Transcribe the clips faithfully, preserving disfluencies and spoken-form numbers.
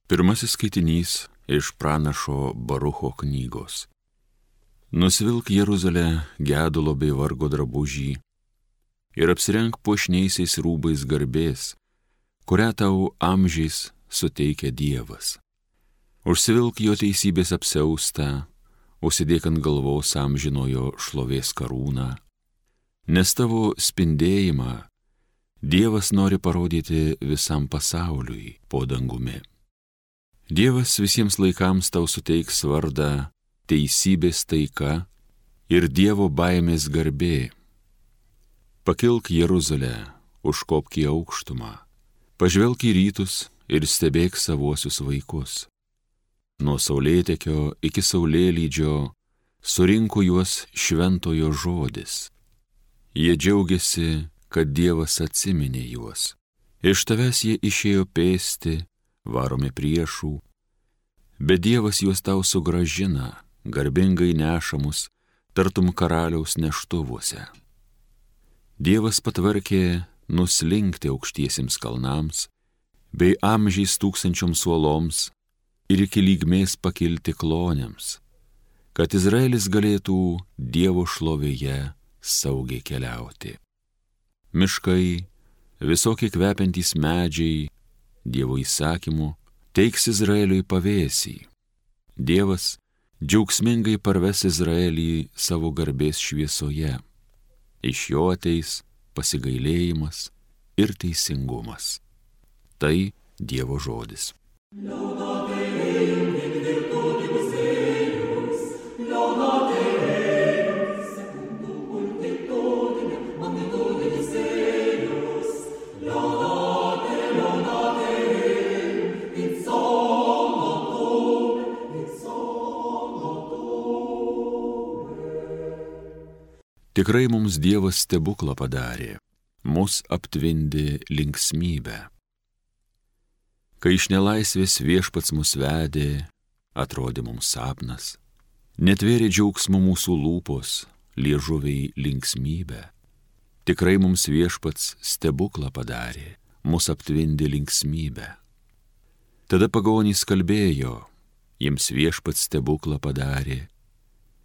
Pirmasis skaitinys iš pranašo Barucho knygos. Nusvilk Jeruzalę gedulo bei vargo drabužį ir apsirenk puošniaisiais rūbais garbės, kurią tau amžiais suteikia Dievas. Užsivilk jo teisybės apsiaustą, užsidėk ant galvos amžinojo šlovės karūną, nes tavo spindėjimą Dievas nori parodyti visam pasauliui po dangumi. Dievas visiems laikams tau suteiks vardą teisybės taika ir Dievo baimės garbė. Pakilk Jeruzalę, užkopk į aukštumą, pažvelk į rytus ir stebėk savuosius vaikus. Nuo saulėtekio iki saulėlydžio surinko juos šventojo žodis. Jie džiaugiasi, kad Dievas atsiminė juos. Iš tavęs jie išėjo pėsti, varomi priešų, bet Dievas juos tau sugrąžina, garbingai nešamus, tartum karaliaus neštuvuose. Dievas patvarkė nuslinkti aukštiesiems kalnams, bei amžiais tūkstančioms uoloms ir iki lygmės pakilti klonėms, kad Izraelis galėtų Dievo šlovėje saugiai keliauti. Miškai, visokie kvepiantys medžiai, Dievo įsakymu teiks Izraeliui pavėsį. Dievas džiaugsmingai parves Izraelį savo garbės šviesoje. Iš jo ateis pasigailėjimas ir teisingumas. Tai Dievo žodis. Tikrai mums Dievas stebuklą padarė, mus aptvindė linksmybę. Kai iš nelaisvės viešpats mus vedė, atrodė mums sapnas, netvėrė džiaugsmo mūsų lūpos, liežuviai linksmybę. Tikrai mums viešpats stebuklą padarė, mus aptvindė linksmybę. Tada pagonys kalbėjo, jiems viešpats stebuklą padarė.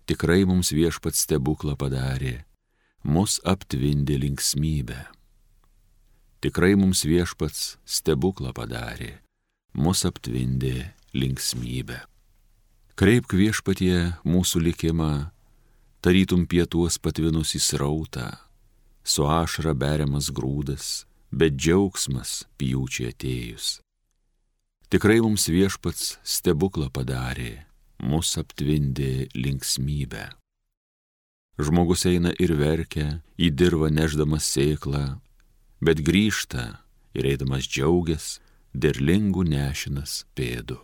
Tikrai mums viešpats stebuklą padarė, mus aptvindė linksmybę. Tikrai mums viešpats stebuklą padarė, mus aptvindė linksmybę. Kreipk viešpatie mūsų likimą, tarytum pietuos patvinus į srautą, su ašara beriamas grūdas, bet džiaugsmas pjūčiai atėjus. Tikrai mums viešpats stebuklą padarė, mus aptvindė linksmybę. Žmogus eina ir verkia, į dirvą neždamas sėklą, bet grįžta ir eidamas džiaugias, derlingų nešinas pėdų.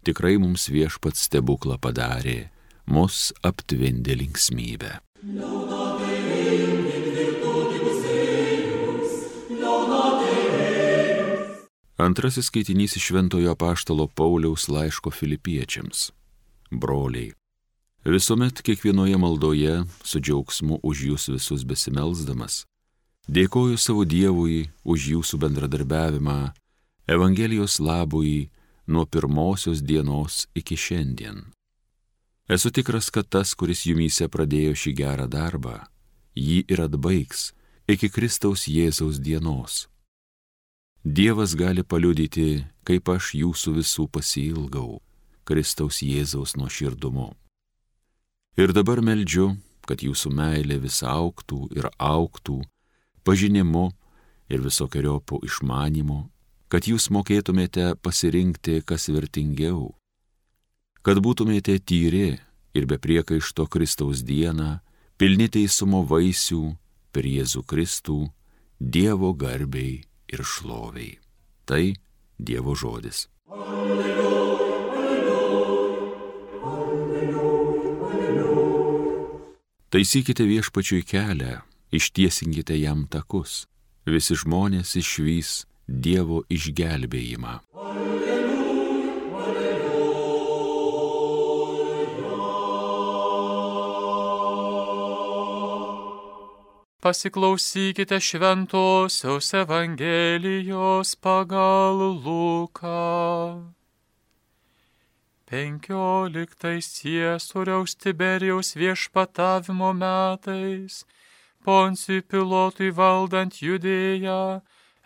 Tikrai mums viešpats stebuklą padarė, mus aptvindė linksmybę. Antrasis skaitinys iš Šventojo apaštalo Pauliaus laiško Filipiečiams. Broliai, visuomet kiekvienoje maldoje su džiaugsmu už jūs visus besimelsdamas, dėkoju savo Dievui už jūsų bendradarbiavimą Evangelijos labui nuo pirmosios dienos iki šiandien. Esu tikras, kad tas, kuris jumyse pradėjo šį gerą darbą, jį ir atbaigs iki Kristaus Jėzaus dienos. Dievas gali paliudyti, kaip aš jūsų visų pasiilgau Kristaus Jėzaus nuoširdumu. Ir dabar meldžiu, kad jūsų meilė vis augtų ir augtų, pažinimu ir visokeriopų išmanymu, kad jūs mokėtumėte pasirinkti, kas vertingiau, kad būtumėte tyri ir be priekaišto Kristaus dieną, pilni teisumo vaisių per Jėzų Kristų, Dievo garbei ir šloviai. Tai Dievo žodis. Alleluja, alleluja, alleluja. Taisykite viešpačiui kelią, ištiesinkite jam takus. Visi žmonės išvys Dievo išgelbėjimą. Alleluja, alleluja. Pasiklausykite šventosios Evangelijos pagal Luką. penkioliktais Ciesoriaus Tiberijaus viešpatavimo metais, Poncijui Pilotui valdant Judėją,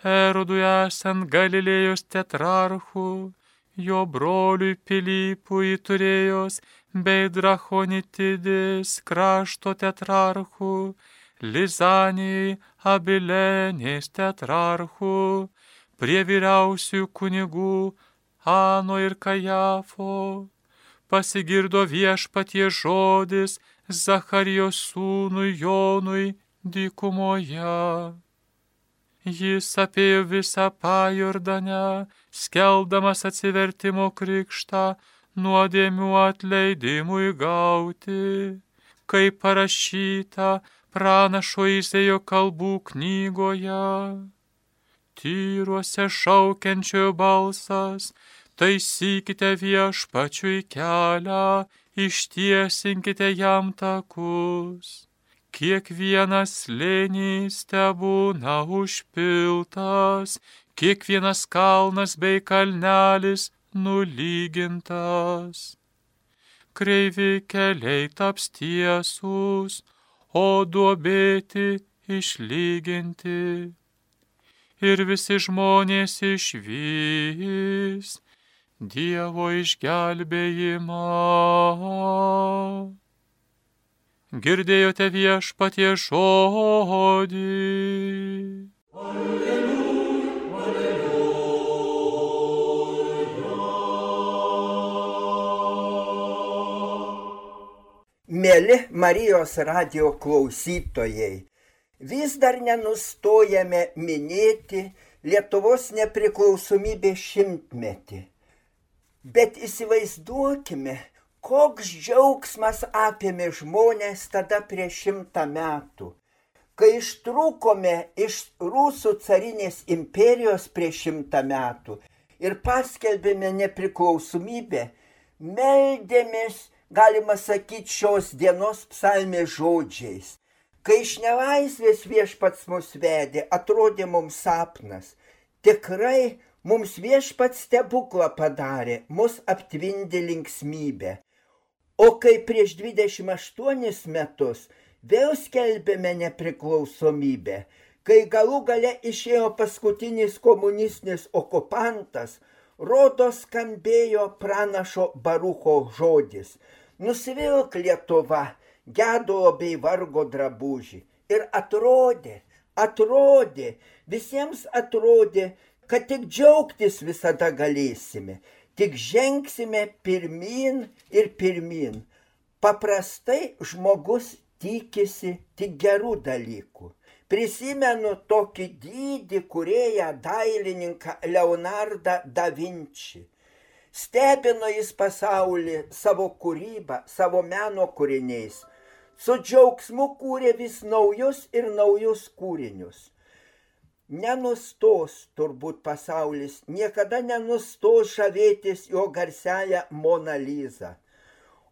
Erodui esant Galilėjos tetrarchu, jo broliui Pilypui Turėjos bei Drachonitidės krašto tetrarchu, Lizanijai Abilenės tetrarchu, prie vyriausių kunigų Ano ir Kajafo, pasigirdo Viešpaties žodis Zacharijos sūnui Jonui dykumoje. Jis apėjo visą Pajordanę, skelbdamas atsivertimo krikštą nuodėmių atleidimui gauti, kaip parašyta pranašo Izaijo kalbų knygoje. Tyruose šaukiančiojo balsas, taisykite Viešpačiui kelią, ištiesinkite jam takus. Kiekvienas slėnys tebūna užpiltas, kiekvienas kalnas bei kalnelis nulygintas. Kreivi keliai taps tiesūs, o duobėti išlyginti. Ir visi žmonės išvys Dievo išgelbėjimą. Girdėjote Viešpaties žodį. Alleluja, alleluja. Mieli Marijos radijo klausytojai, vis dar nenustojame minėti Lietuvos nepriklausomybės šimtmetį. Bet įsivaizduokime, koks džiaugsmas apėmė žmonės tada prieš šimtą metų. Kai ištrūkome iš Rusų carinės imperijos prieš šimtą metų ir paskelbėme nepriklausomybę, meldėmės, galima sakyti, šios dienos psalmės žodžiais. Kai iš nelaisvės Viešpats mus vedė, atrodė mums sapnas. Tikrai mums Viešpats stebuklą padarė, mus aptvindė linksmybė. O kai prieš dvidešimt aštuonis metus vėl skelbėme nepriklausomybę, kai galų gale išėjo paskutinis komunistinis okupantas, rodos skambėjo pranašo Barucho žodis: nusivilk Lietuva gedulo bei vargo drabužį. Ir atrodė, atrodė, visiems atrodė, kad tik džiaugtis visada galėsime. Tik žengsime pirmyn ir pirmyn. Paprastai žmogus tikisi tik gerų dalykų. Prisimenu tokį didį kūrėją dailininką Leonardą da Vinci. Stebino jis pasaulį savo kūrybą, savo meno kūriniais. Su džiaugsmu kūrė vis naujus ir naujus kūrinius. Nenustos turbūt pasaulis, niekada nenustos žavėtis jo garsiąją Mona Lizą.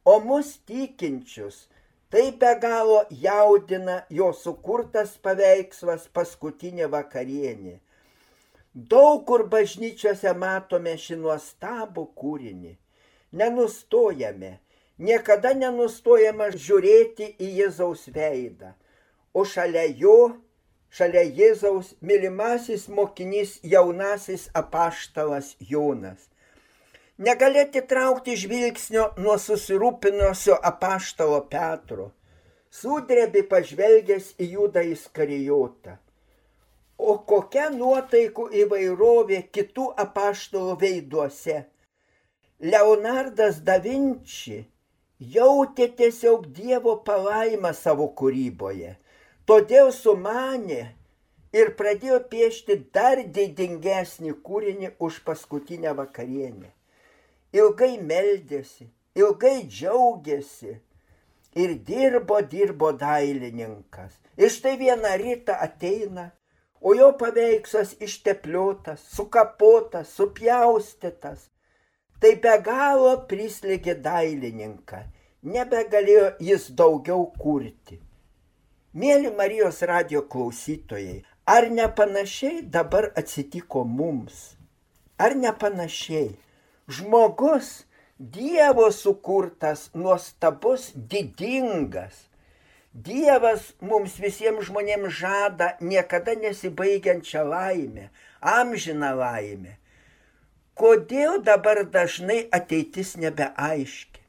O mus tikinčius tai be galo jaudina jo sukurtas paveikslas Paskutinė vakarienė. Daug kur bažnyčiose matome šį nuostabų kūrinį. Nenustojame, niekada nenustojame žiūrėti į Jėzaus veidą, o šalia jo, šalia Jėzaus mylimasis mokinys jaunasis apaštalas Jonas. Negali atitraukti žvilgsnio nuo susirūpinusio apaštalo Petro, sudrebi pažvelgęs į Judą Iskarijotą. O kokia nuotaikų įvairovė kitų apaštalų veiduose. Leonardas da Vinci jautė tiesiog Dievo palaimą savo kūryboje. Todėl sumanė ir pradėjo piešti dar didingesnį kūrinį už Paskutinę vakarienę. Ilgai meldėsi, ilgai džiaugėsi ir dirbo, dirbo dailininkas. Ir štai vieną rytą ateina, o jo paveikslas ištepliotas, sukapotas, supjaustytas. Tai be galo prislėgė dailininką, nebegalėjo jis daugiau kurti. Mėly Marijos radijo klausytojai, ar nepanašiai dabar atsitiko mums? Ar nepanašiai? Žmogus Dievo sukurtas, nuostabus, didingas. Dievas mums visiems žmonėms žada niekada nesibaigiančią laimę, amžiną laimę. Kodėl dabar dažnai ateitis nebeaiški?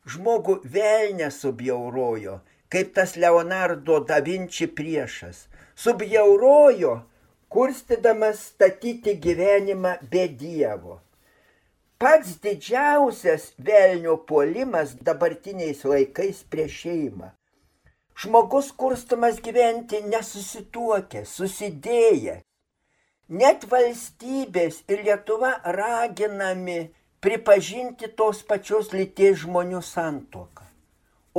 Žmogų velnias subjaurojo, kaip tas Leonardo da Vinci priešas. Subjaurojo, kurstydamas statyti gyvenimą be Dievo. Pats didžiausias velnio puolimas dabartiniais laikais prieš šeimą. Žmogus kurstamas gyventi nesusituokę, susidėję. Net valstybės ir Lietuva raginami pripažinti tos pačios lyties žmonių santuoką.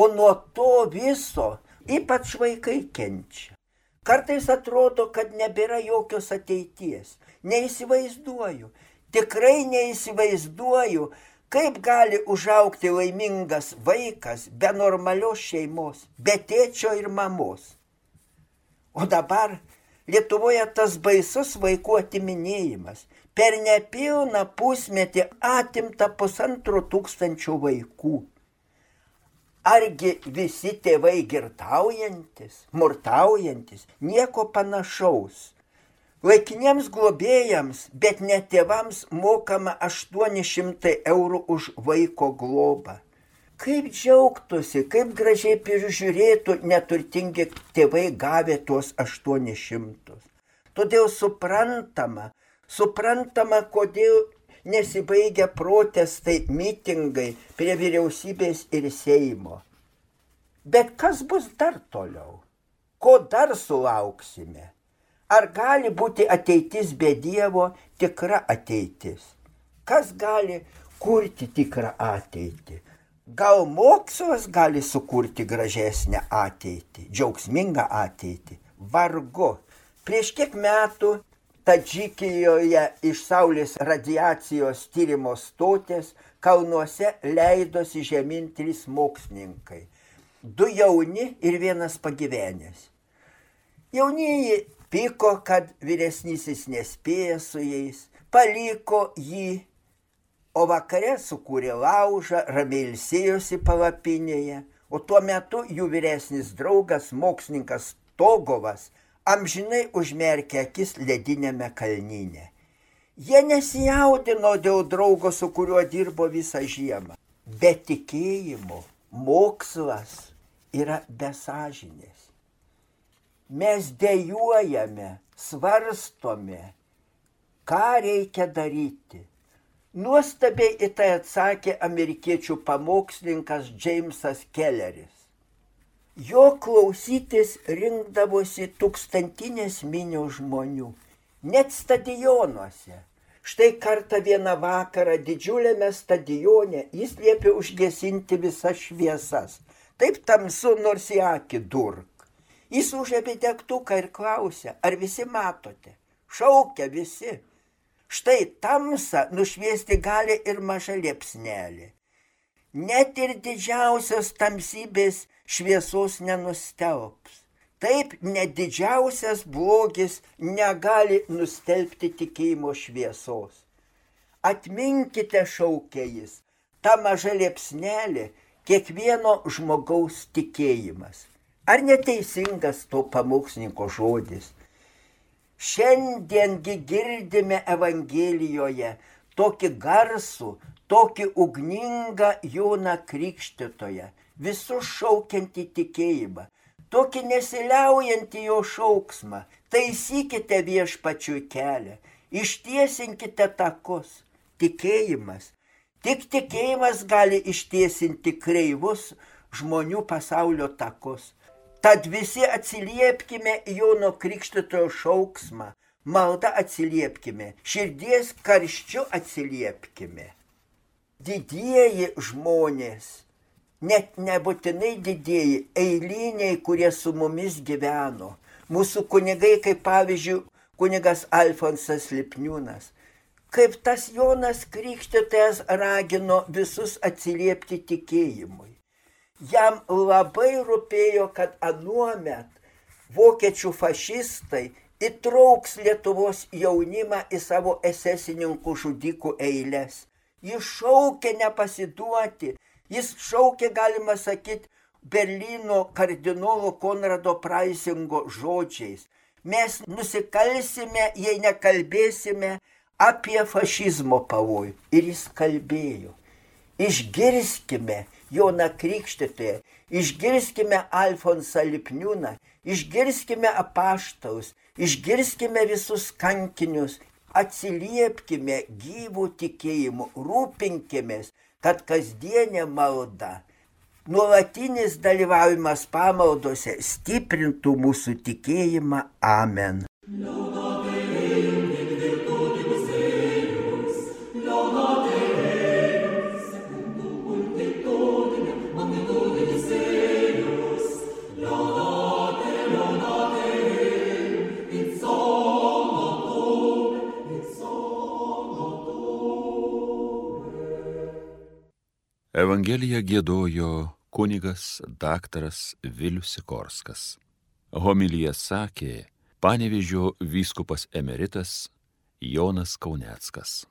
O nuo to viso ypač vaikai kenčia. Kartais atrodo, kad nebėra jokios ateities. Neįsivaizduoju, tikrai neįsivaizduoju, kaip gali užaugti laimingas vaikas be normalios šeimos, be tėčio ir mamos. O dabar Lietuvoje tas baisus vaikų atiminėjimas. Per nepilną pusmetį atimta pusantro tūkstančio vaikų. Argi visi tėvai girtaujantis, murtaujantis, nieko panašaus. Laikiniems globėjams, bet ne tėvams mokama aštuoni šimtai eurų už vaiko globą. Kaip džiaugtųsi, kaip gražiai prižiūrėtų neturtingi tėvai gavę tuos aštuonis šimtus. Todėl suprantama, suprantama, kodėl nesibaigia protestai, mitingai prie vyriausybės ir Seimo. Bet kas bus dar toliau? Ko dar sulauksime? Ar gali būti ateitis be Dievo tikra ateitis? Kas gali kurti tikrą ateitį? Gal mokslas gali sukurti gražesnę ateitį, džiaugsmingą ateitį? Vargu. Prieš kiek metų Tadžikijoje iš Saulės radiacijos tyrimo stotės kalnuose leidosi žemyn trys mokslininkai. Du jauni ir vienas pagyvenęs. Jaunieji pyko, kad vyresnysis nespėja su jais, paliko jį, o vakare sukūrė laužą, ramiai ilsėjosi palapinėje, o tuo metu jų vyresnis draugas, mokslininkas Togovas, amžinai užmerkė akis ledinėme kalnyne. Jie nesijaudino dėl draugo, su kuriuo dirbo visą žiemą. Be tikėjimo mokslas yra besažinės. Mes dejuojame, svarstome, ką reikia daryti. Nuostabiai į tai atsakė amerikiečių pamokslininkas Džeimsas Kelleris. Jo klausytis rinkdavosi tūkstantinės minios žmonių, net stadionuose. Štai kartą vieną vakarą didžiuliame stadione jis liepė užgesinti visas šviesas. Taip tamsu, nors į akį durk. Jis užėmė degtuką ir klausė, ar visi matote? Šaukia visi. Štai tamsą nušviesti gali ir maža liepsnelė. Net ir didžiausios tamsybės šviesos nenustelbs. Taip, net didžiausias blogis negali nustelbti tikėjimo šviesos. Atminkite, šaukė jis, ta maža liepsnelė kiekvieno žmogaus tikėjimas. Ar neteisingas to pamokslininko žodis? Šiandiengi girdime Evangelijoje tokį garsų, tokį ugningą Joną Krikštytoją, visus šaukiantį tikėjimą, tokį nesiliaujantį jo šauksmą. Taisykite viešpačiui kelią, ištiesinkite takus. Tikėjimas. Tik tikėjimas gali ištiesinti kreivus žmonių pasaulio takus. Tad visi atsiliepkime Jono Krikštytojo šauksmą, malda atsiliepkime, širdies karščiu atsiliepkime. Didieji žmonės, net nebūtinai didieji, eiliniai, kurie su mumis gyveno, mūsų kunigai, kaip pavyzdžiui kunigas Alfonsas Lipniūnas, kaip tas Jonas Krikštytojas ragino visus atsiliepti tikėjimui. Jam labai rūpėjo, kad anuomet vokiečių fašistai įtrauks Lietuvos jaunimą į savo esesininkų žudikų eiles. Jis šaukia nepasiduoti. Jis šaukia, galima sakyti, Berlyno kardinolo Konrado Praisingo žodžiais. Mes nusikalsime, jei nekalbėsime apie fašizmo pavojų. Ir jis kalbėjo. Išgirskime Joną Krikštytoją, išgirskime Alfonsą Lipniūną, išgirskime apaštalus, išgirskime visus kankinius, atsiliepkime gyvų tikėjimų, rūpinkimės, kad kasdienė malda, nuolatinis dalyvavimas pamaldose stiprintų mūsų tikėjimą. Amen. Evangeliją giedojo kunigas daktaras Vilius Sikorskas. Homiliją sakė Panevėžio vyskupas emeritas Jonas Kauneckas.